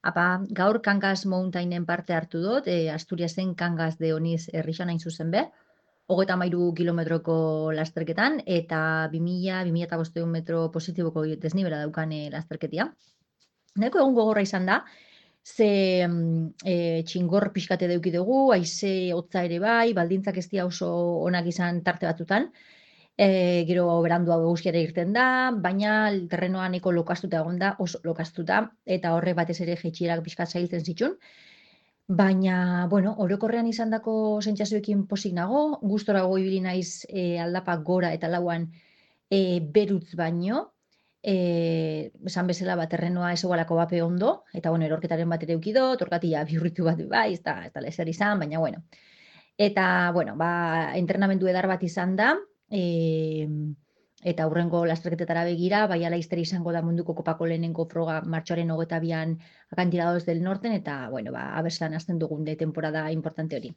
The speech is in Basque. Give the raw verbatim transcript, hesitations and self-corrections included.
Apa, gaur Kangas Mountainen parte hartu dut, e, Asturiasen Kangas de Oniz herrixan hain zuzen be, hogeita hamairu kilometroko lasterketan, eta bi mila, bi mila bostehun metro positiboko desnibela daukan e, lasterketia. Nahiko egun gogorra izan da, ze mm, e, txingor pixkate deuki dugu, haize hotza ere bai, baldintzak ez dira oso onak izan tarte batzutan, e, gero berandua eguzkiara irten da, baina terrenoa nahiko lokastuta egon da, oso lokastuta, eta horre batez ere jaitsierak pixkat zailtzen zitun. Baina, bueno, orokorrean izandako sentsazioekin pozik nago, gustorago ibili naiz e, aldapa gora eta lauan e, berutz baino, e, esan bezala bat terrenoa ezogalako bape ondo, eta bueno, erorketaren bat ere eukido, torkatila bihurritu bat bai, ez da, ez da lezer izan, baina bueno. Eta, bueno, ba, entrenamendu edar bat izan da, e, eta hurrengo lasterketetara begira, bai ala izango da munduko kopako lehenengo froga martxoaren hogeta bian Acantilados del Norten, eta, bueno, ba, abertzelan hasten dugun de temporada importante hori.